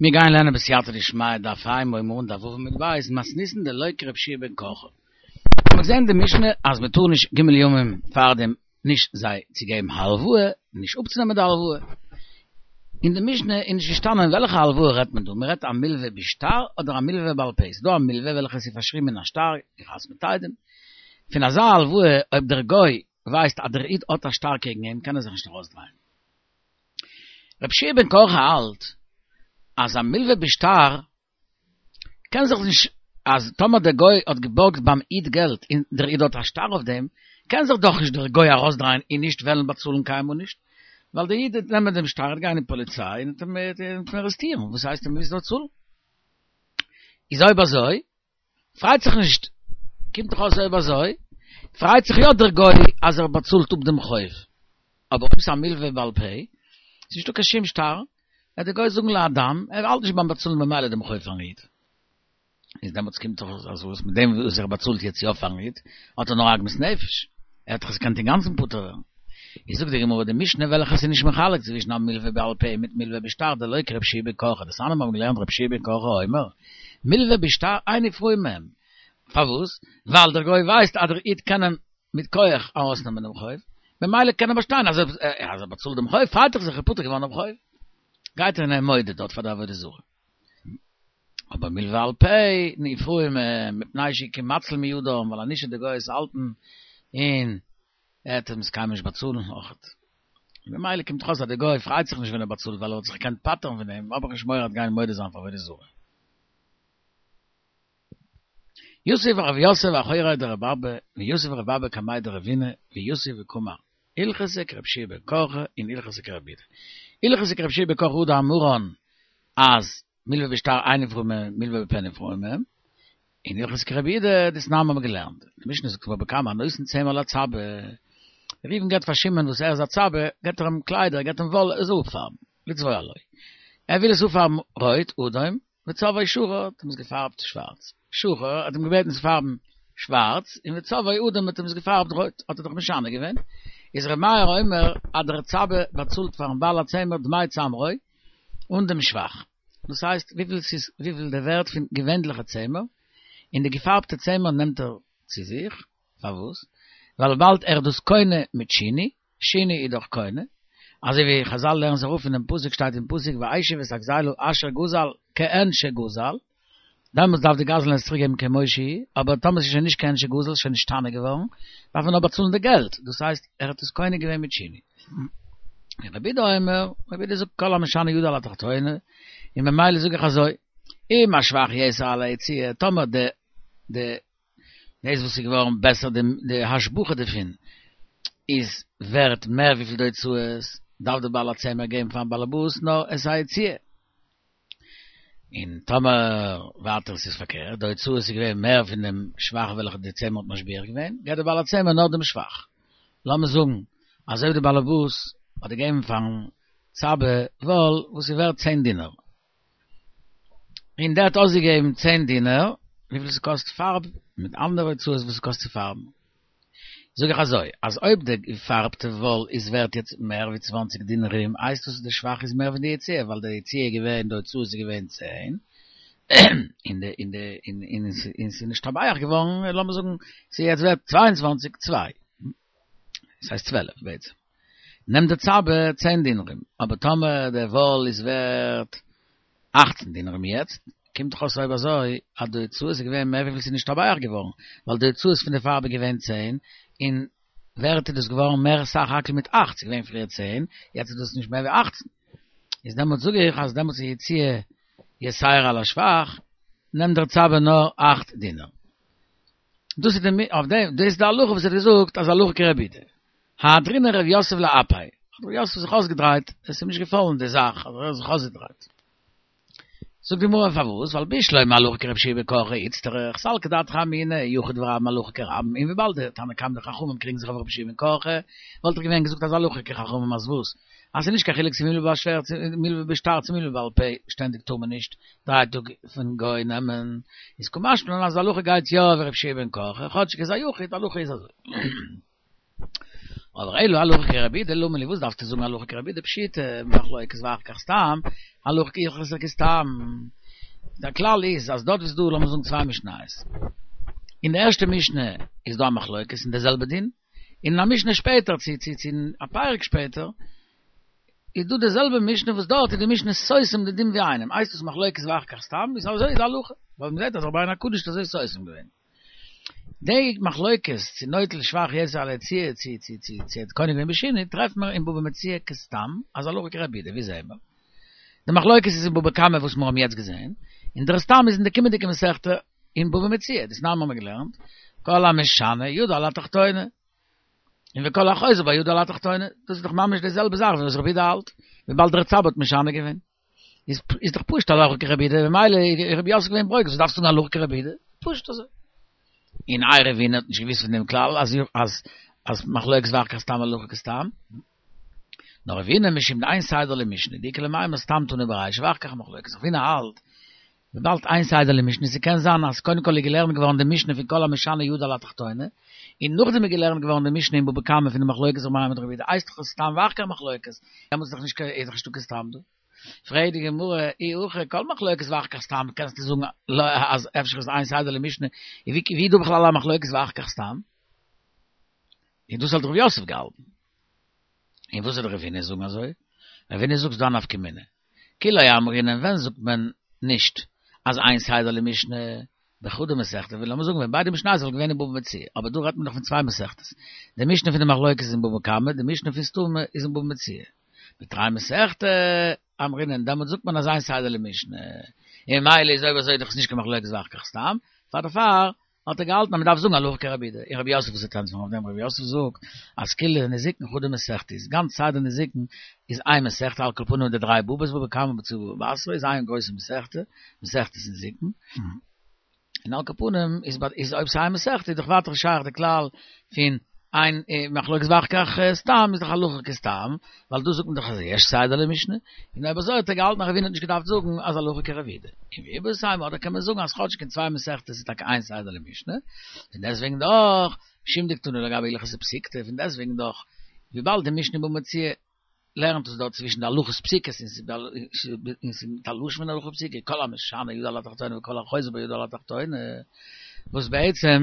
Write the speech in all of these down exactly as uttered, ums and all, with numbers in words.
מיר גייען לערנען בסייעתא דשמיא דף ה' הייבן מיר אן דף ו' עמוד ב', מתניתין דלא כרבי יהושע בן קרחה. מ'האט געזען די משנה אז מ'טאר נישט ג' ימים פארדעם נישט זיי צו געבן הלוואה, נישט אפצונעמען די הלוואה. אין די משנה איז נישט געשטאנען וועלכע הלוואה רעדט מען דא, מ'רעדט א מלווה בשטר אדער א מלווה בעל פה, ס'איז דא א מלווה וועלכע איז פארשריבן אין א שטר, געחתמ'ט עדים, פון אזא הלוואה אויב דער גוי ווייסט אז דער איד האט א שטר קעגן אים קען ער זיך נישט ארויסדרייען. רבי יהושע בן קרחה האלט אז א מלווה בשטר קען זיך נישט, אז טאמער דער גוי האט געבארגט ביים איד געלט און דער איד האט א שטר אויף דעם, קען זיך דאך נישט דער גוי ארויסדרייען און נישט וועלן באצאלן קיינמאל נישט, ווייל דער איד וועט נעמען דעם שטר, וועט גיין אין פאליציי און וועט אים ארעסטירן, וואס הייסט ער מוז באצאלן? איז אויב אזוי פרייט זיך נישט, קומט דאך אויס אויב אזוי פרייט זיך יא דער גוי אז ער באצאלט אפ דעם חוב, אבער אויב ס'איז א מלווה בעל פה, ס'איז נישטא קיין שום שטר, וועט דער גוי זאגן להדם, ער האלט נישט ביים באצאלן במילא דעם חוב פארן איד. איז דעמאלטס קומט דאך אויס אז וואס מיט דעם וואס ער באצאלט יעצט יא פארן איד, האט ער נאר עגמת נפש, ער האט דאך עס געקענט אינגאנצן פטור ווערן. איז זאגט די גמרא די משנה וועלכע איז נישט מחלק צווישן א מלווה בעל פה מיט מלווה בשטר דלא כרבי יהושע בן קרחה, דתניא מיר האבן געלערנט רבי יהושע בן קרחה אומר, מלווה בשטר אין נפרעין מהם. פארוואס? ווייל דער גוי ווייסט אז דער איד קען אים מיט כח ארויסנעמען דעם חוב, ממילא קען ער באשטיין אז ער באצאלט דעם חוב, פרייט ער זיך ער איז פטור געווארן דעם חוב. גייט ער און ער מודה דארט פאר די עבודה זרה. אבער מלווה על פה נפרעין מהם מפני שהוא כמציל מידם, ווייל אנישט וועט דער גוי עס האלטן און ער וועט אים עס קיינמאל נישט באצאלן אויכעט. ממילא קומט דאך אויס אז דער גוי פרייט זיך נישט ווען ער באצאלט ווייל ער וואלט זיך געקענט פטר'ן פון דעם, האב איך נישט מורא ער וועט גיין מודה זיין פאר עבודה זרה. יתיב רב יוסף אחורי דרבי אבא ויתיב רבי אבא קמיה דרבינא ויתיב וקאמר הלכתא כרבי יהושע בן קרחה און הלכתא כרבי יהודה. הלכתא כרבי יהושע בן קרחה הא דאמרן אז מלווה בשטר אין נפרעין מהם מלווה בפה נפרעין מהם, און הלכתא כרבי יהודה דתנן האבן מיר געלערנט, די משנה זאגט בבא קמא הנותן צמר לצבע, ראובן געבט פאר שמעון וואס ער איז א צבע, געבט ער אים קליידער, געבט אים וואל ער זאל אפפארבן, לצבוע לו, ער וויל עס אפפארבן רויט, אדום, וצבעו שחור, האט אים עס געפארבט שווארץ, שחור, האט אים געבעטן צו פארבן שווארץ, און וצבעו אדום האט אים עס געפארבט רויט, האט ער דאך משנה געווען, איז ר' מאיר אומר אז דער צבע באצאלט פארן בעל הצמר דמי צמרו, אן דעם שבח, דאס הייסט וויפיל ס'איז וויפיל די ווערט פון געווענליכע צמר, און די געפארבטע צמר נעמט ער צו זיך, פארוואס? ווייל וויבאלד ער איז דאס קונה מיט שינוי, שינוי איז דאך קונה, אזוי ווי חזל לערנען זיך אראפ פונעם פסוק שטייט אין פסוק והשיב את הגזילה אשר גזל כעין שגזל, דעמאלטס דארף די גזלן עס צוריק געבן כמו שהיא, אבער טאמער ס'איז שוין נישט כעין שגזל, ס'איז שוין נשתנה געווארן, דארף מען נאר באצאלן די געלט, דאס הייסט ער האט עס קונה געווען מיט שינוי. רבי יהודה אומר, רבי יהודה זאגט כל המשנה ידו על התחתונה, און ממילא זאג איך אזוי, אם השבח יתר על היציאה, טאמער די די דאס וואס איז געווארן בעסער די די השבחה דערפון איז ווערט מער וויפיל די הוצאות, דארף די בעל הצמר געבן פארן בעלעבאס נאר את היציאה. און טאמער ווייטער עס איז פארקערט, די הוצאות איז געווען מער פון דעם שבח וועלכע די צמר האט משביח געווען, געבט דער בעל הצמר נאר דעם שבח. לאמיר זאגן אז אויב דער בעלעבאס האט געגעבן פארן צבע וואל וואס איז ווערט צען דינר, און דער האט אויסגעגעבן צען דינר, וויפיל ס'קאסט פארב, מיט אנדערע הוצאות וואס ס'קאסט צו פארבן. זאג איך אזוי, אז אויב די געפארבטע וואל איז ווערט יעצט מער ווי צוואַנציק דינרים, הייסט דאס די שבח איז מער ווי די יציאה, ווייל די יציאה איז געווען, די הוצאות איז געווען צען, און די און די און און ס'איז נשתבח געווארן, לאמיר זאגן ס'איז יעצט ווערט צוויי און צוואַנציק צוויי, ס'הייסט צוועלף בעצם, נעמט די צבע צען דינרים, אבער טאמער די וואל איז ווערט אַכצן דינרים יעצט, קומט דאך אויס אויב אזוי אז די הוצאות איז געווען מער וויפיל ס'איז נשתבח געווארן, ווייל די הוצאות פון די פארב איז געווען צען, און ווערט איז דאס געווארן מער סך הכל מיט אַכט, ס'איז געווען פריער צען, יעצט איז דאס נישט מער ווי אַכצן. איז דעמאלטס זאג איך אז דעמאלטס איז יציאה יתירה על השבח, נעמט דער צבע נאר אַכט דינר. דאס איז די אויף דעם, דאס איז די הלכה וואס ער האט געזאגט אז הלכה כרבי יהודה. הדרינהו רב יוסף לאפיה, האט רב יוסף זיך אויסגעדרייט, עס איז אים נישט געפאלן די זאך, האט ער זיך אויסגעדרייט. זאגט די גמרא פארוואס, ווייל בשלמא הלכה כרבי יהושע בן קרחה איצטריך, סלקא דעתך אמינא, יחיד ורבים הלכה כרבים, און וויבאלד די תנא קמא די חכמים קריגן זיך אויף רבי יהושע בן קרחה, וואלט איך געווען געזאגט אז הלכה כחכמים אז וואס? אז ס'איז נישט קיין חילוק צו מלוה בשטר צו מלוה בשטר צו מלוה בעל פה, שטענדיג טאר מען נישט דריי טאג פון גוי נעמען, איז קא משמע לן אז הלכה גייט יא ווי רבי יהושע בן קרחה, כאטשיג איז א יחיד, הלכה איז אזוי. אבער אלא הלכה כרבי יהודה, למה לי וואס דארפסטו זאגן הלכה כרבי יהודה פשיטא, מחלוקת ואחר כך סתם, הלכה הלכתא כסתם. דער כלל איז אז דארט איז דא לאמיר זאגן צוויי משניות. אין די ערשטע משנה איז דא א מחלוקת אין די זעלבע דין, אין א משנה שפעטער צו צו צו א פרק שפעטער איז דא די זעלבע משנה וואס דארט איז די משנה סותם די דין ווי איינעם, הייסט עס מחלוקת ואחר כך סתם, איז אזוי איז הלכה, ווייל מ'זעט אז רבינו הקדוש האט אזוי סותם געווען. די מחלוקת צו נוטל שבח יתר על היציאה צו צו צו צו האט קונה געווען בשינוי טרעפט מען אין בבא מציעא כסתם אז הלכה כרבי יהודה, ווי זעהן מיר? די מחלוקת איז אין בבא קמא וואס מיר האבן יעצט געזעהן, און דער סתם איז אין די קומענדיגע מסכתא אין בבא מציעא, דתנן האבן מיר געלערנט, כל המשנה ידו על התחתונה, און וכל החוזר בה ידו על התחתונה, דאס איז דאך ממש די זעלבע זאך ווי וואס רבי יהודה האלט, וויבאלד דער רצב"א האט משנה געווען. איז איז דאך פשוט הלכה כרבי יהודה, ממילא איז רב יוסף געווען ברוגז, וואס דארפסטו זאגן הלכה כרבי יהודה? פשוט אזוי. און איי רבינא האט נישט געוואוסט פון דעם כלל אז אז אז מחלוקת ואחר כך סתם הלכה כסתם. נאר רבינא משום דאין סדר למשנה, דאיכא למימר סתם תנא ברישא ואחר כך מחלוקת. רבינא האלט וויבאלד אין סדר למשנה, ס'קען זיין אז קודם כל איז געלערנט געווארן די משנה פון כל המשנה ידו על התחתונה, און נאכדעם איז געלערנט געווארן די משנה אין בבא קמא פון די מחלוקת ר' מאיר מיט רבי יהודה, הייסט דאך עס סתם ואחר כך מחלוקת, דעמאלטס איז דאך נישט איז דאך נישטא קיין סתם דא. פרעגט די גמרא, אי הכי כל מחלוקת ואחר כך סתם, קענסטו זאגן אז אפשר איז אין סדר למשנה, און ווי איז דא בכלל א מחלוקת ואחר כך סתם? און דאס האט רב יוסף געהאלטן. און וואס וועט רבינא זאגן אזוי? רבינא זאגט ס'דא א נפקא מינה. כי לא אמרינן ווען זאגט מען נישט אז אין סדר למשנה בחדא מסכתא ווי לאמיר זאגן ווען ביידע משניות וואלט געווען אין בבא מציעא אבער דא רעדט מען דאך פון צוויי מסכתות די משנה פון די מחלוקת איז אין בבא קמא די משנה פון סתמא איז אין בבא מציעא בתרי מסכתא אמרינן דעמאלט זאגט מען אז אין סדר למשנה און ממילא איז אויב אזוי דאך עס נישט קיין מחלוקת ואחר כך סתם פאר דערפאר האט ער געהאלטן אז מען דארף זאגן הלכה כרבי יהודה, און רב יוסף וואס וועט ענטפערן אויף דעם, רב יוסף זאגט אז כולה נזיקין חדא מסכתא איז גאנץ סדר נזיקין איז איין מסכתא על כל פנים די דריי בבות בבא קמא בבא מציעא בבא בתרא איז איין גרויסע מסכתא, מסכת נזיקין, און על כל פנים איז איז אויב ס'איז איין מסכתא איז דאך ווייטער שייך די כלל פון אין מחלוקת ואחר כך סתם איז דאך הלכה כסתם, ווייל דא זאגט מען דאך אז יש סדר למשנה, און אויב אזוי האט ער געהאלטן אז רבינא האט נישט געדארפט זאגן אז הלכה כרבי יהודה. און ואיבעית אימא אדער קען מען זאגן אז כאטשיג אין צוויי מסכתות איז טאקע אין סדר למשנה, פון דעסטוועגן דאך, משום דקתני לגבי הלכתא פסיקתא, פון דעסטוועגן דאך, וויבאלד די משנה בבא מציעא לערנט עס דארט צווישן די הלכות פסוקות און ס'איז מיט א לשון פון הלכה פסוקה, כל המשנה ידו על התחתונה וכל החוזר בו ידו על התחתונה, וואס בעצם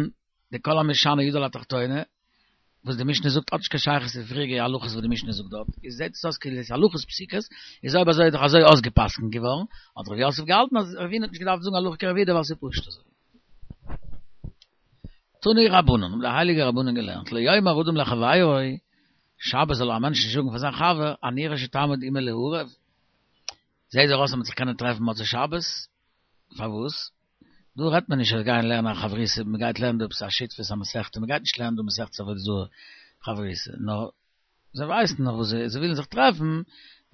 די כל המשנה ידו על התחתונה, וואס די משנה זאגט האט נישט קיין שייכות צו די פריעריגע הלכות וואס די משנה זאגט דארט, איז זעט עס אויס כאילו עס איז הלכות פסוקות, איז אויב אזוי איז דאך אזוי אויסגע'פסק'נט געווארן, האט ר' יוסף געהאלטן אז רבינא האט נישט געדארפט זאגן הלכה כרבי יהודה ווייל ס'איז פשוט אזוי. תנו רבנן, האבן די הייליגע רבנן געלערנט, לא יאמר אדם לחבירו, שבת זאל א מענטש נישט זאגן פאר זיין חבר, אני רואה שתעמוד עמי לערב, זעט דיר אויס אז מ'וועט זיך קענען טרעפן מוצאי שבת, פארוואס? דא רעדט מען נישט אז גייען לערנען א חברותא, מען גייט לערנען דא עפעס א שותפות א מסכתא, מען גייט נישט לערנען דא מסכת עבודה זרה חברותא, נאר זיי ווייסן נאך וואס זיי זיי ווילן זיך טרעפן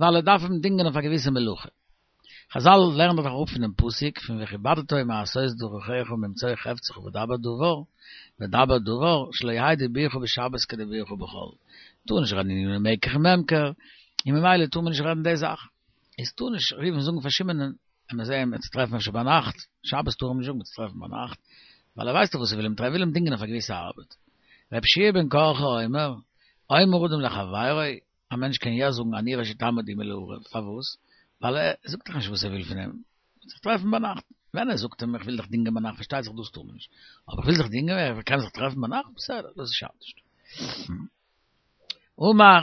ווייל ער דארף אים דינגען אויף א געוויסע מלאכה. חזל לערנען דאך אראפ פונעם פסוק פון וכבדת מעשות דרכיך וממצוא חפצך ודבר דבר, ודבר דבר, שלא יהא דיבורך בשבת כדיבורך בחול. טאר נישט רעדן עניני מקח וממכר, און ממילא טאר מען נישט רעדן די זאך. איז טאר נישט ראובן זאגן פאר שמעונ'ען, עמיר זעהן מ'עט זיך טרעפן אפשר ביינאכט, שבת טאר מען נישט זאגן מ'עט זיך טרעפן ביינאכט, ווייל ער ווייסט דאך וואס ער וויל אים טרעפן, ער וויל אים דינגען אויף א געוויסע ארבעט. ר' יהושע בן קרחה אומר, אומר אדם לחבירו, א מענטש קען יא זאגן אני רואה שתעמוד עמי לערב, פארוואס? ווייל ער זאגט דאך נישט וואס ער וויל פון אים, מ'עט זיך טרעפן ביינאכט, ווען ער זאגט אים איך וויל דיך דינגען ביינאכט פארשטייט זיך דאס טאר מען נישט, אבער איך וויל דיך דינגען, ער קען זיך טרעפן ביינאכט, בסדר, דאס שאדט נישט. אמר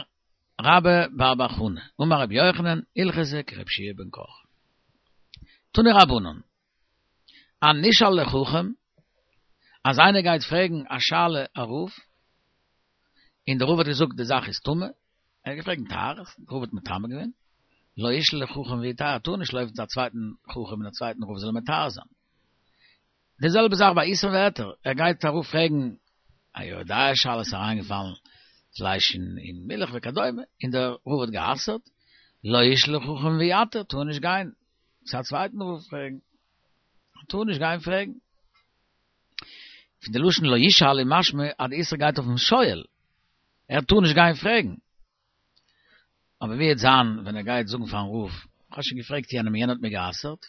רבה בר בר חנה, אמר רבי יוחנן, הלכתא כרבי יהושע בן קרחה. תנו רבנן, הנשאל לחכם, אז איינער גייט פרעגן א שאלה א רב, און דער רב האט געזאגט די זאך איז טמא, ער האט געפרעגט טהרות, דער רב האט מטמא געווען, לא ישאל לחכם ויטהר, ער טאר נישט לויפן צו א צווייטן חכם און א צווייטן רב זאל אים מטהר זיין. די זעלבע זאך ביי איסור והיתר, ער גייט ארויף פרעגן א יורה דעה שאלה, ס'איז אריינגעפאלן פלייש אין מילך וכדומה, און דער רב האט גע'אסר'ט, לא ישאל לחכם ויתיר, טאר נישט גיין צו א צווייטן רב פרעגן, טאר נישט גיין פרעגן. פון די לשון לא ישאל איז משמע אז די איסור גייט אויפן שואל, ער טאר נישט גיין פרעגן. אבער ווי וועט זיין ווען ער גייט זאגן פארן רב, כ'האב שוין געפרעגט יענעם און יענער האט מיר גע'אסר'ט?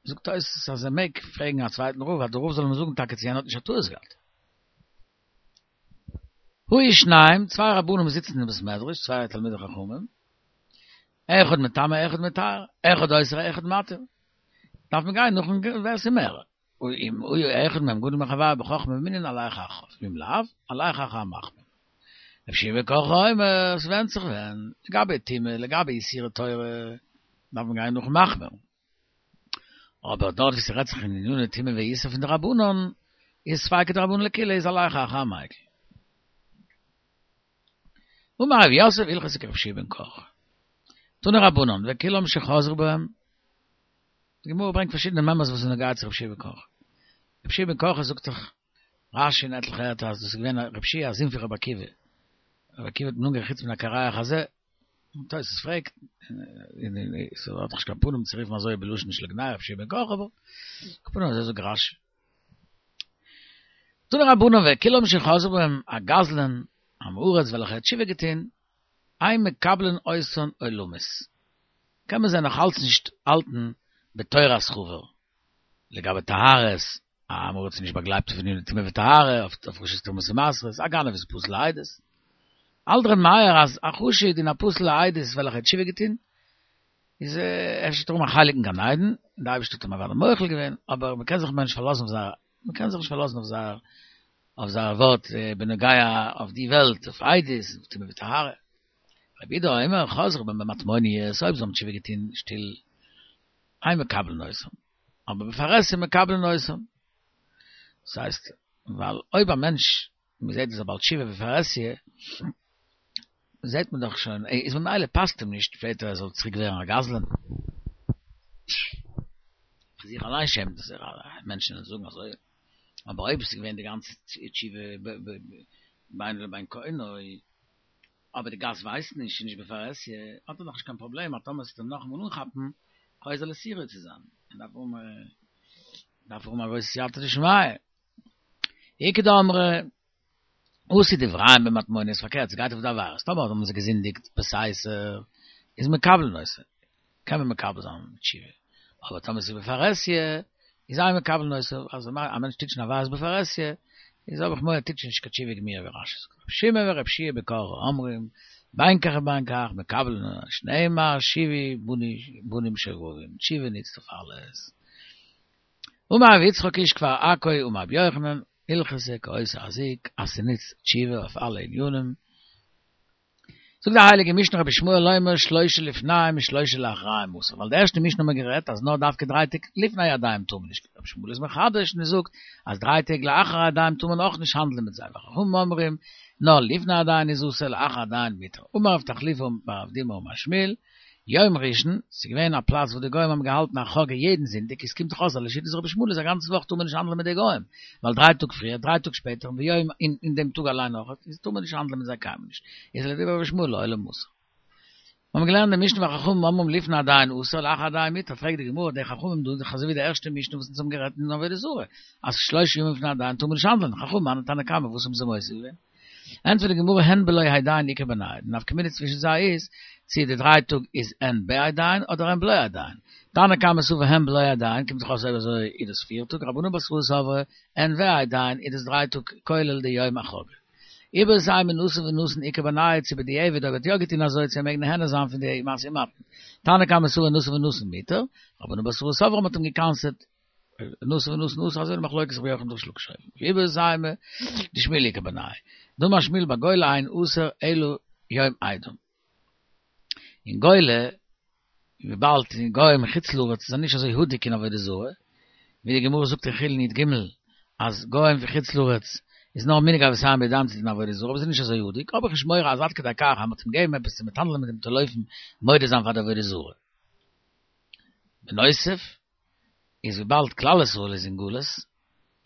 זאגט תוס' אז ער מעג פרעגן א צווייטן רב אז דער רב זאל אים זאגן טאקע צו יענער האט נישט א טעות געהאט. היו שניים, צוויי רבנים זיצן אין בית מדרש, צוויי תלמידי חכמים, אחד מטמא, אחד מטהר, אחד אוסר, אחד מתיר. דארף מען גיין נאכן ווער ס'איז מער. ואם היה אחד מהם גדול מחברו בחכמה ובמנין הלך אחריו, ואם לאו, הלך אחר המחמיר. רבי יהושע בן קרחה אומר, ס'ווענדט זיך ווען, לגבי טומאה, לגבי איסורי תורה, דארף מען גיין נאכן מחמיר. אבער דארט וואו ס'רעדט זיך אין עניני טומאה ואיסור פון דרבנן, איז ספיקא דרבנן לקולא איז הלך אחר המיקל. אמר רב יוסף הלכתא כרבי יהושע בן קרחה. תנו רבנן, וכולם שחזרו בהם, די גמרא ברענגט פארשידענע מימרות וואס איז נוגע צו רבי יהושע בן קרחה. רבי יהושע בן קרחה זאגט דאך רש"י אין עטליכע ערטער אז דאס איז געווען רבי יהושע א זון פון רבי עקיבא. רבי עקיבא האט אים אנגערופן חוץ מן הקרח הזה. און תוס' פרעגט, ס'האט דאך נישט קיין פנים צו רופן אזוי בלשון של גנאי רבי יהושע בן קרחה, אבער על כל פנים אזוי זאגט רש"י. תנו רבנן וכולם שחזרו בהם א גזלן, עם הארץ וועלכער האט תשובה געטון, אין מקבלין אותן עולמית. קען מען זיי נאך אלץ נישט האלטן בתורת חבר. לגבי טהרות, א עם הארץ איז נישט באגלייבט אויף עניני טומאה וטהרה, אויף הפרשת תרומות ומעשרות, א גנב איז פסול לעדות. האלט ר' מאיר אז א חשוד און א פסול לעדות וועלכער האט תשובה געטון, איז אפשר האט ער א חלק אין גן עדן, און די אייבערשטער האט אים אוודאי מוחל געווען, אבער מען קען זיך מער נישט פארלאזן אויף זייער, מען קען זיך נישט פארלאזן אויף זייער אויף זייער ווארט בנוגע אויף די וועלט, אויף עדות, אויף טומאה וטהרה. רבי יהודה אומר, חזרו בהם במטמוניות, אויב זיי האבן תשובה געטון שטיל, אין מקבלין אותם, אבער בפרהסיא מקבלין אותם. דאס הייסט, ווייל אויב א מענטש, מען זעט איז א בעל תשובה בפרהסיא, זעט מען דאך שוין, איז ממילא פאסט אים נישט שפעטער ער זאל צוריק ווערן א גזלן. פאר זיך אליין שעמט ער זיך, מענטשן וועלן זאגן אזוי. אבער אויב עס איז געווען די גאנצע תשובה בינו לבין קונו, אבער די גאס ווייסט נישט, ס'איז נישט בפרהסיא, האט ער נאכנישט קיין פראבלעם אז טאמער ס'וועט אים נאכאמאל אנכאפן, חוזר לסורו צו זיין, ער דארף האבן דארף האבן א גרויסע סייעתא דשמיא. איכא דאמרי, עשו דבריהם במטמוניות, פארקערט, ס'גייט אויף די עבירות, טאמער האבן זיי געזינדיגט בסתר, איז מקבלין אותן, קען מען מקבל זיין תשובה, אבער טאמער ס'איז בפרהסיא, איז אין מקבלין אותן, אז א מענטש טוט שוין עבירות בפרהסיא, איז האב איך מורא ער טוט שוין נישט קיין תשובה גמורה ווי רש"י זאגט. רבי שמעון ורבי יהושע בן קרחה אומרים, בין כך ובין כך, מקבלין שנאמר שובו בנים שובבים, תשובה נוצט אויף אלעס. אמר רבי יצחק איש כפר עכו אמר רבי יוחנן, הלכתא כאותו הזיק, אז ס'נוצט תשובה אויף אלע ענינים. זאגט די הייליגע משנה רבי ישמעאל אומר שלשה לפניהם ושלשה לאחריהם אסור, ווייל די ערשטע משנה האט מען גערעדט אז נאר דווקא דריי טעג לפני העדיים טאר מען נישט, רבי ישמעאל איז מחדש און ער זאגט אז דריי טעג לאחר העדיים טאר מען אויך נישט האנדלען מיט זיי, וחכמים אומרים נאר לפני הדיין איז אסור לאחר הדיין מותר, אמר רב תחליפא בר אבדימי אמר שמואל, יום ראשון, ס'איז געווען א פלאץ וואו די גוים האבן געהאלטן א חאגע יעדן זונטאג, עס קומט דאך אויס אז לשיטת רבי ישמעאל איז א גאנצע וואך טאר מען נישט האנדלען מיט די גוים, ווייל דריי טאג פריער, דריי טאג שפעטער, און ביום אין דעם טאג אליין אויך, איז טאר מען נישט האנדלען מיט זיי קיינמאל נישט, איז לדברי רבי ישמעאל לעולם אסור. מיר האבן געלערנט די משנה וחכמים אומרים לפני הדיין אסור לאחר הדיין מותר, פרעגט די גמרא, די חכמים דא איז דאך אזוי ווי די ערשטע משנה וואס אונז האבן גערעדט אין עבודה זרה, אז שלשה ימים לפני הדיין טאר מען נישט האנדלען, חכמים מני תנא קמא וואס האבן זיי מוסיף געווען? ענטפערט די גמרא הן בלא הדיין איכא בינייהו, די נפקא מינה צווישן זיי איז צי די דריי טאג איז הן בהדיין אדער הן בלא הדיין. תנא קמא סבר הן בלא הדיין קומט דאך אויס אויב אזוי איז דאס פיר טאג, רבנן בתראה סברי הן והדיין איז דאס דריי טאג כולל די יום החגא. איבעית אימא נתן ונתן איכא בינייהו צו בדיעבד אויב ער האט יא געטון אזוי צו ער מעג נהנה זיין פון די משא ומתן. תנא קמא סבר נתן ונתן מותר, רבנן בתראה סברי מ'האט אים געקנס'עט נתן ונתן אסור אזוי די מחלוקת רבי יוחנן וריש לקיש ואיבעית אימא דשמואל איכא בינייהו דאמר שמואל בגולה אין אסור אלא יום אידם אין גולה וויבאלד די גוים אין חוץ לארץ זענען נישט אזוי הדוק אין עבודה זרה ווי די גמרא זאגט אין חולין י"ג אז גוים פון חוץ לארץ איז נאר מנהג אבותיהם בידיהם צו טון עבודה זרה אבער זיי זענען נישט אזוי הדוק האב איך נישט מורא אז עד כדי כך אז מ'האט אים געגעבן עפעס צו מיטהאנדלען מיט דעם צו לויפן מודה זיין פאר די עבודה זרה בנוסף איז וויבאלד כלל ישראל איז אין גלות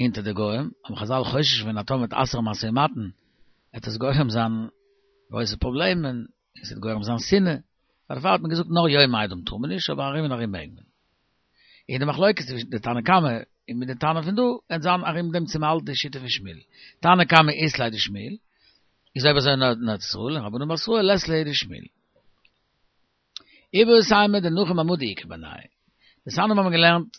אונטער די גוים, האבן חזל חושש געווען אז טאמער מ'וועט אסר'ן משא ומתן וועט עס גורם זיין גרויסע פראבלעמען, און ס'וועט גורם זיין שנאה, דערפאר האט מען געזאגט נאר יום אידם טאר מען נישט, אבער ארום און ארום מעג מען. און די מחלוקת צווישן די תנא קמא און מיט די תנא פון דא וועט זיין ארום דעם צו מ'האלט די שיטה פון שמואל. תנא קמא אית ליה דשמואל, איז אויב אזוי נאר אין ארץ ישראל, און רבנן בתראה לית להו דשמואל. איבעית אימא דנחום המדי איכא בינייהו. דתניא האבן מיר געלערנט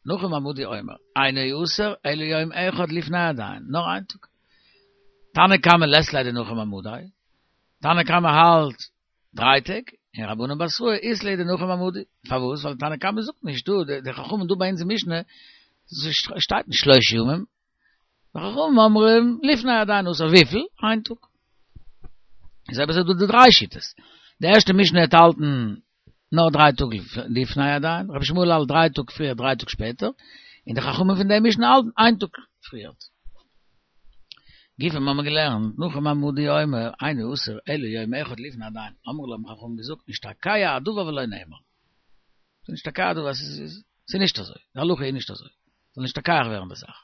נחום המדי אומר, אינו אסור אלא יום אחד לפני הדיין, נאר איין טאג. תנא קמא לית ליה דנחום אמדי, תנא קמא האלט דריי טעג, און רבנן בתראי אית להו דנחום אמדי. פארוואס? ווייל תנא קמא זאגט נישט דא, די חכמים דא ביי אונז אין משנה שטייט נישט שלושה ימים, וחכמים אומרים לפני הדיין אסור וויפיל? איין טאג. איז אויב אזוי דא די דריי שיטות. די ערשטע משנה האט האלטן נאר דריי טאג לפני הדיין, רבי ישמעאל האלט דריי טאג פריער דריי טאג שפעטער, און די חכמים פון די משנה האלטן איין טאג פריער. גופא האבן מיר געלערנט, נחום המדי אומר, אינו אסור אלא יום אחד לפני הדיין, אמרו לו האבן חכמים געזאגט, נשתכח הדבר ולא נאמר. ס'איז נשתכח הדבר, ס'איז נישט אזוי, די הלכה איז נישט אזוי, ס'זאל נשתכח ווערן די זאך.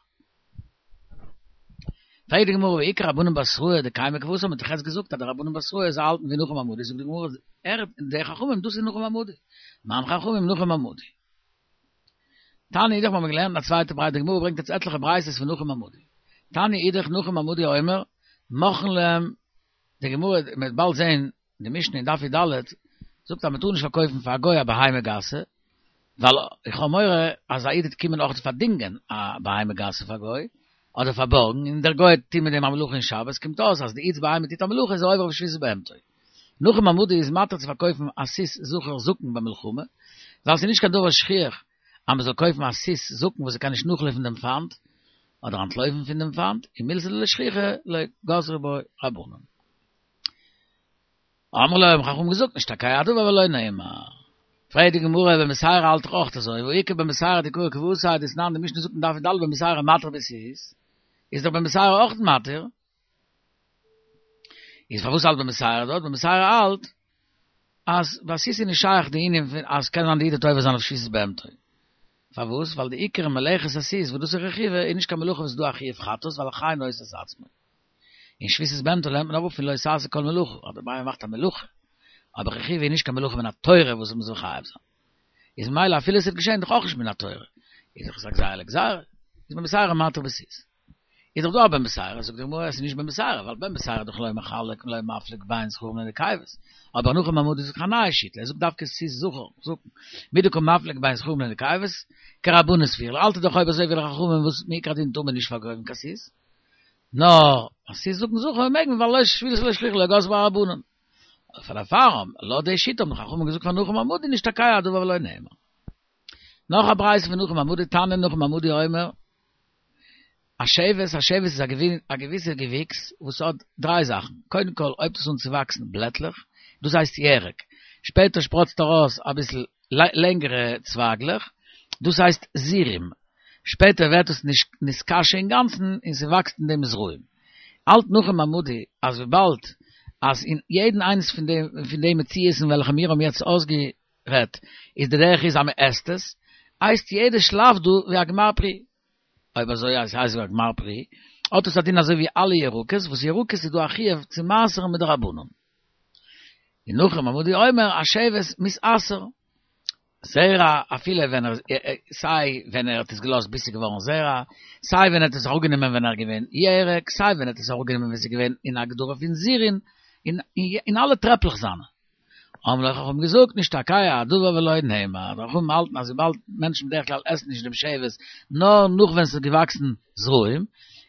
פרעגט די גמרא והא איכא רבנן בתראי דקיימי כוותיה, מ'האט דאך יעצט געזאגט אז די רבנן בתראי זיי האלטן ווי נחום המדי, זאגט די גמרא ער די חכמים דאס איז נחום המדי, מאן חכמים נחום המדי. תניא אידך מ'האמיר געלערנט אין א צווייטע ברייתא, די גמרא ברענגט יעצט עטליכע ברייתות פון נחום המדי. תניא אידך נחום המדי אומר מוחלין להם, די גמרא מ'וועט באלד זעהן די משנה אין דף י"ד זאגט אז מ'טאר נישט פארקויפן פאר א גוי א בהמה גסה, ווייל איך האב מורא אז א איד וועט קומען אויך פארדינגען א בהמה גסה פאר גוי, אדער פארבארגן, און דער גוי וועט טון מיט דעם א מלאכה אין שבת, קומט אויס אז די איד'ס בהמה טוט א מלאכה איז ער עובר אויף שביתת בהמתו. נחום המדי איז מתיר צו פארקויפן א סוס זכר זקן במלחמה, ווייל ס'איז נישט קיין דבר שכיח אז מ'זאל קויפן א סוס זקן וואס ער קען נישט נאכלויפן דעם פיינט, אדער אנטלויפן פון דעם פיינט, ומילתא דלא שכיחא לא גזרו בו רבנן. אמרו לו האבן חכמים געזאגט נשתכח הדבר ולא נאמר. פרעגט די גמרא בן בתירא האלט דאך אויך אזוי, והא איכא בן בתירא דקאי כוותיה דתנן די משנה זאגט אין דף י"ד בן בתירא מתיר בסוס, איז דאך בן בתירא אויך מתיר, איז פארוואס האלט בן בתירא דארט? בן בתירא האלט אז ביי סוס איז נישט שייך די ענין פון אז קען זיין די איד וועט עובר זיין אויף שביתת בהמתו. פארוואס? ווייל די עיקר מלאכת הסוס וואס דאס איז רכיבה איז נישט קיין מלאכה וואס איז דא א חיוב חטאת ווייל החי נושא את עצמו. און שביתת בהמתו לערנט מען אראפ פון לא תעשה כל מלאכה, אז די בהמה מאכט א מלאכה, אבער רכיבה איז נישט קיין מלאכה מן התורה וואס מ'זאל חייב זיין. איז ממילא אפילו עס וועט געשען דאך אויך נישט מן התורה. איז דאך עס א גזירה לגזירה. איז בן בתירא מתיר בסוס. איז דאך דא א בן בתירא, זאגט די גמרא עס איז נישט בן בתירא, ווייל בן בתירא דאך לא מחלק לא מפליג בין זכרים לנקבות, אבער נחום המדי זאגט א נייע שיטה, ער זאגט דווקא סוס זכר, זקן, מדקא מפליג בין זכרים לנקבות, כרבנן סבירא ליה, האלט ער דאך אויב אזוי ווי די חכמים וואס מעיקר הדין טאר מען נישט פארקויפן קיין סוס, נאר א סוס זקן זכר מעג מען ווייל מילתא דלא שכיחא לא גזרו ביה רבנן. פאר דערפאר לויט די שיטה האבן די חכמים געזאגט פאר נחום המדי נשתכח הדבר ולא נאמר. נאך א ברייתא פון נחום המדי תנא נחום המדי אומר השבט, השבט איז א געוויסע געוויקס וואס האט דריי זאכן, קודם כל הויבט עס אן צו וואקסן בלעטלעך, דאס הייסט ירק, שפעטער שפראצט ארויס אביסל לענגערע צווייגלעך, דאס הייסט זירים, שפעטער ווערט עס נתקשה אינגאנצן און ס'וואקסט אין דעם זרעים. האלט נחום המדי אז וויבאלד אז אין יעדן איינס פון די פון די מציאות'ן וועלכע מיר האבן יעצט אויסגערעדט איז די דרך איז אז מ'עסט עס, הייסט יעדע שלב דא ווי א גמר פרי. אויב אזוי אז ס'הייסט ווי א גמר פרי, האט עס א דין אזוי ווי אלע ירקות, וואס ירקות איז דא א חיוב צו מעשר'ן מדרבנן. און נחום המדי אומר השבט מתעשר זרע אפילו ווען ער סיי ווען ער האט עס געלאזט ביז ס'איז געווארן זרע, סיי ווען ער האט עס אראפגענומען ווען ער איז געווען ירק, סיי ווען ער האט עס אראפגענומען ווען ס'איז געווען אין הגדרה פון זירין, אין אין אלע טרעפלעך זיינע. אמרו לו חכמים געזאגט נשתכח הדבר ולא נאמר, די חכמים האלטן אז וויבאלד מענטשן בדרך כלל עסן נישט דעם שבת נאר נאך ווען ס'איז געוואקסן זרעים,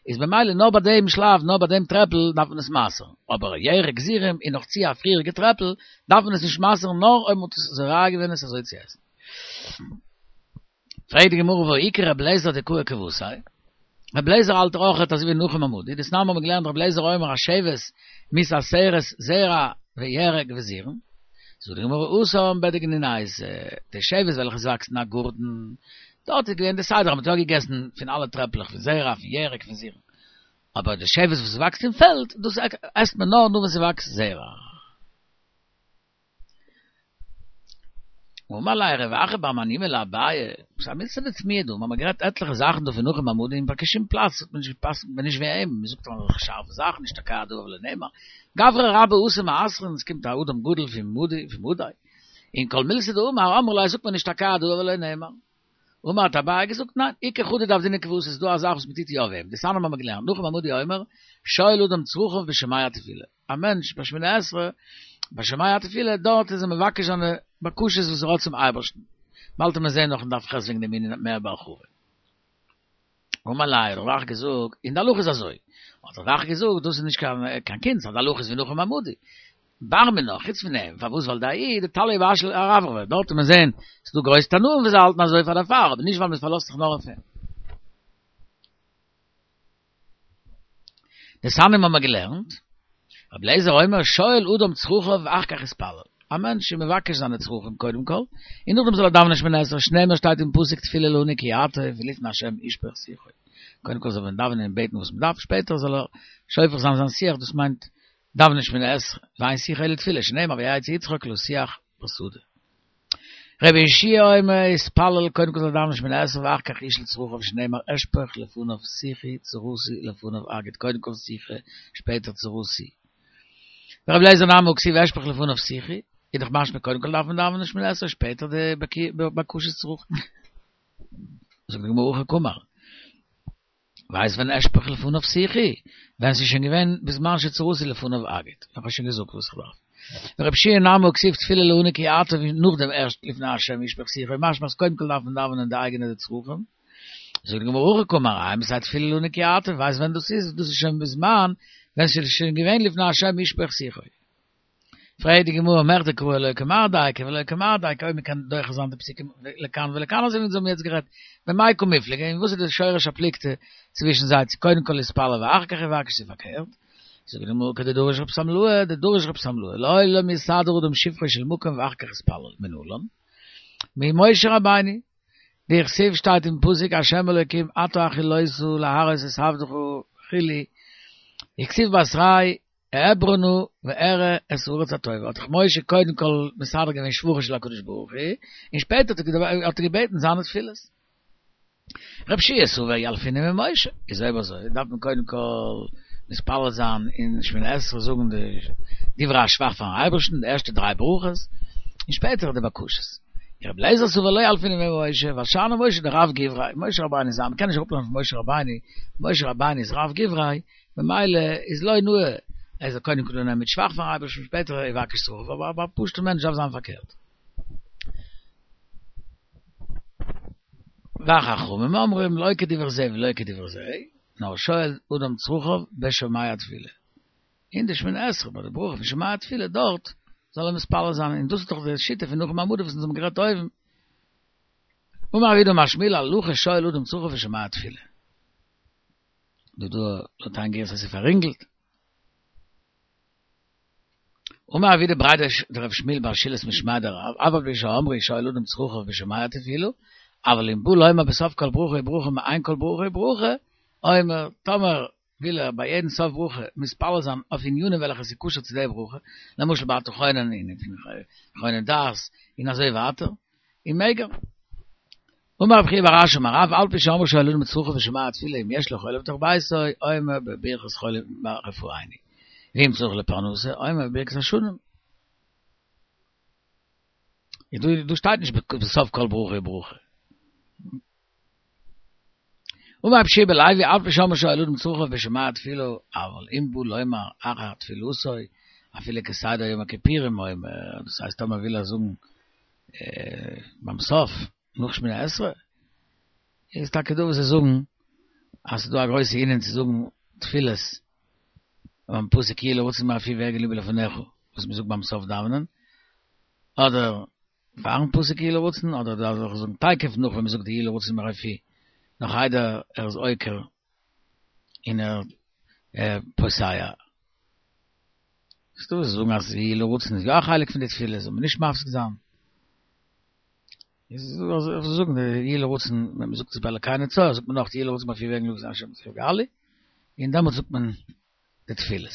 איז במילא נאר ביי דעם שלב נאר ביי דעם טרעפל דארף מען עס מעשר'ן, אבער ירק זירים איז נאך צו א פריעריגע טרעפל דארף מען עס נישט מעשר'ן נאר אויב מ'האט עס זורע געווען עס אזוי צו עסן. פרעגט די גמרא והא איכא ר' אליעזר דקאי כוותיה, ר' אליעזר האלט אויכעט אזוי ווי נחום המדי, דתנן מ'האבן געלערנט ר' אליעזר אומר השבת מתעשרת זרע וירק וזירין, זאגט די גמרא התם בדגנונייתא, די שבת וועלכע עס וואקסט אין א גארטן, דארט איז געווען די סדר אז מען האט יא געגעסן פון אלע טרעפלעך פון זרע פון ירק פון זירין, אבער די שבת וואס וואקסט אין פעלד דאס עסט מען נאר נאר ווען ס'וואקסט זרע. אמר ליה רב אחא בר מניומי לאביי, ס'איז א מילתא דתמיהא דא, מ'האמיר גערעדט עטליכע זאכן דא פון נחום המדי און ביי קיין שום פלאץ האט מען נישט געפסקנט מען נישט ווי אים, מ'זאגט אזעלכע שארפע זאכן נשתכח הדבר ולא נאמר, גברא רבה אתא מעשרן, עס קומט א אדם גדול פון מדי פון מדי, און כל מילתא דאמר אמרו ליה זאגט מען נשתכח הדבר ולא נאמר. אמר האט אביי געזאגט ניין, איכא חדא דעבדינן כוותיה ס'איז דא א זאך וואס מ'טוט יא ווי אים, דתנן האמיר געלערנט, נחום המדי אומר, שואל אדם צרכיו בשומע תפילה, א מענטש ביי שמונה עשרה, ביי שומע תפילה, דארט איז ער מבקש זיינע בקשות וואס ער האט צום אייבערשטן. באלד וועט מען זען נאך אין דף ח' וועגן דעם ענין מער בהרחבה. אמר ליה, האט רב אחא געזאגט, און די הלכה איז אזוי, האט רב אחא געזאגט, דאס איז נישט קיין קיין קונץ, אז די הלכה איז ווי נחום המדי. בר מינה, חוץ פון אים, פארוואס ווייל דההוא דתלאי ואשאיל ארברבא, דארט וועט מען זען, ס'איז דא גרויסע תנאים וואס זיי האלטן אזוי פאר דערפאר, אבער נישט ווייל מען פארלאזט זיך נאר אויף אים. דתניא האבן מיר געלערנט, רבי אליעזר אומר שואל אדם צרכיו ואחר כך יתפלל, א מענטש איז מבקש זיינע צרכים קודם כל, און נאכדעם זאל ער דאווענען שמונה עשרה, שנאמר שטייט אין פסוק תפילה לעני כי יעטוף ולפני השם ישפוך שיחו, קודם כל זאל מען דאווענען און בעטן וואס מען דארף, שפעטער זאל ער שופך זיין זיין שיח, דאס מיינט דאווענען שמונה עשרה, ואין שיחה אלא תפילה, שנאמר ויצא יצחק לשוח בשדה. רבי יהושע אומר יתפלל קודם כל זאל ער דאווענען שמונה עשרה ואחר כך ישאל צרכיו שנאמר אשפוך לפניו שיחי צרתי לפניו אגיד קודם כל שיחה שפעטער צרתי. ורבי אליעזר נמי הא כתיב אשפוך לפניו שיחי איז דאך משמע קודם כל דארף מען דאווענען שמונה עשרה שפעטער די בקשות צרכים. זאגט די גמרא הכי קאמר. ווייסט ווען אשפוך לפניו שיחי? ווען ס'איז שוין געווען בזמן שצרתי לפניו אגיד. איך האב שוין געזאגט וואס איך דארף. ורבי יהושע נמי הא כתיב תפילה לעני כי יעטוף נאכדעם ערשט לפני השם ישפוך שיחו משמע אז קודם כל דארף מען דאווענען די אייגענע צרכים. זאגט די גמרא הכי קאמר אימתי תפילה לעני כי יעטוף ווייסט ווען דאס איז? דאס איז שוין בזמן ווען ס'איז שוין געווען לפני השם ישפוך שיחו. פרעגט די גמרא מכדי קראי לא כמר דייקא ולא כמר דייקא אויב מ'קען דוחה זיין די פסוקים לכאן ולכאן אזוי ווי אונז האבן יעצט גערעדט במאי קא מיפלגי און וואס איז די שורש הפלוגתא צווישן זיי צו קודם כל יתפלל ואחר כך יבקש צו פארקערט זאגט די גמרא כדדרש רב שמלאי דדרש רב שמלאי לעולם יסדר אדם שבחו של מקום ואחר כך יתפלל מנלן ממשה רבינו דכתיב שטייט אין פסוק השם אלוקים אתה החלות להראות את עבדך וכו' וכתיב בתריה אעברה נא ואראה את הארץ הטובה, האט דאך משה קודם כל מסדר געווען שבחו של הקדוש ברוך הוא, און שפעטער האט ער געבעטן זיינע תפילות. רבי יהושע סבר ילפינן ממשה, איז אויב אזוי דארף מען קודם כל מתפלל זיין אין שמונה עשרה זאגן די דברי השבח פארן אייבערשטן, די ערשטע דריי ברכות, און שפעטער די בקשות. רבי אליעזר סבר לא ילפינן ממשה, ווייל שאני משה דרב גברא, משה רבינו איז א, מ'קען נישט אראפלערנען פון משה רבינו, משה רבינו איז רב גברא, ממילא איז לא נאה ער זאל קודם כל אנהייבן מיט שבח פארן אייבערשטן שפעטער יבקש צרכיו, אבער ביי א פשוט'ע מענטש דארף זיין פארקערט. וחכמים אומרים לא כדברי זה ולא כדברי זה, נאר שואל אדם צרכיו בשומע תפילה. אין די שמונה עשרה ביי די ברכה פון שומע תפילה דארט זאל ער מתפלל זיין, און דאס איז דאך די שיטה פון נחום המדי וואס אונז האבן גערעדט אויבן. אמר רב יהודה אמר שמואל הלכה שואל אדם צרכיו בשומע תפילה. דא דא לויט איין גירסא אז ס'איז פאררינגלט. אמר רב יהודה בריה דרב שמואל בר שילת משמיה דרב, אף על פי שאמרו שואל אדם צרכיו בשומע תפילה, אבל אם בא לומר בסוף כל ברכה וברכה מעין כל ברכה וברכה, אומר, טאמער וויל ער ביי יעדן סוף ברכה מתפלל זיין אויף ענינים וועלכע ס'איז קשור צו די ברכה, למשל ביי אתה חונן און חונן דעת און אזוי ווייטער, און מעג ער. אמר רב חייא בר אשי אמר רב, אף על פי שאמרו שואל אדם צרכיו בשומע תפילה אם יש לו חולה בתוך ביתו, אומר בברכת חולים רפאנו, ואם צריך לפרנסה, אומר בברכת השנים. דא שטייט נישט בסוף כל ברכה וברכה. אמר רבי יהושע בן לוי, אף על פי שאמרו שואל אדם צרכיו בשומע תפילה, אבל אם בא לומר אחר תפילתו, אפילו כסדר יום הכיפורים אומר, דאס הייסט טאמער וויל ער זאגן ביים סוף, נאך שמונה עשרה, איז טאקע דא וואס זיי זאגן אז ס'איז דא א גרויסע ענין צו זאגן תפילות ביים פסוק יהי לרצון אמר פי והגיון לבי לפניך וואס מ'זאגט ביים סוף דאווענען, אדער פארן פסוק יהי לרצון, אדער דארף איך זאגן תיכף נאך ווען מ'זאגט די יהי לרצון אמר פי, נאך איידער ער איז עוקר און ער פוסע. ס'דא וואס זאגן אז יהי לרצון איז יא א חלק פון די תפילה, זאל מען נישט מפסיק זיין. איז דא זאגן די יהי לרצון ווען מ'זאגט עס ביי אלקי נצור זאגט מען נאך יהי לרצון אמר פי והגיון לבי לפניך גאלי, און דעמאלטס זאגט מען די תפילות.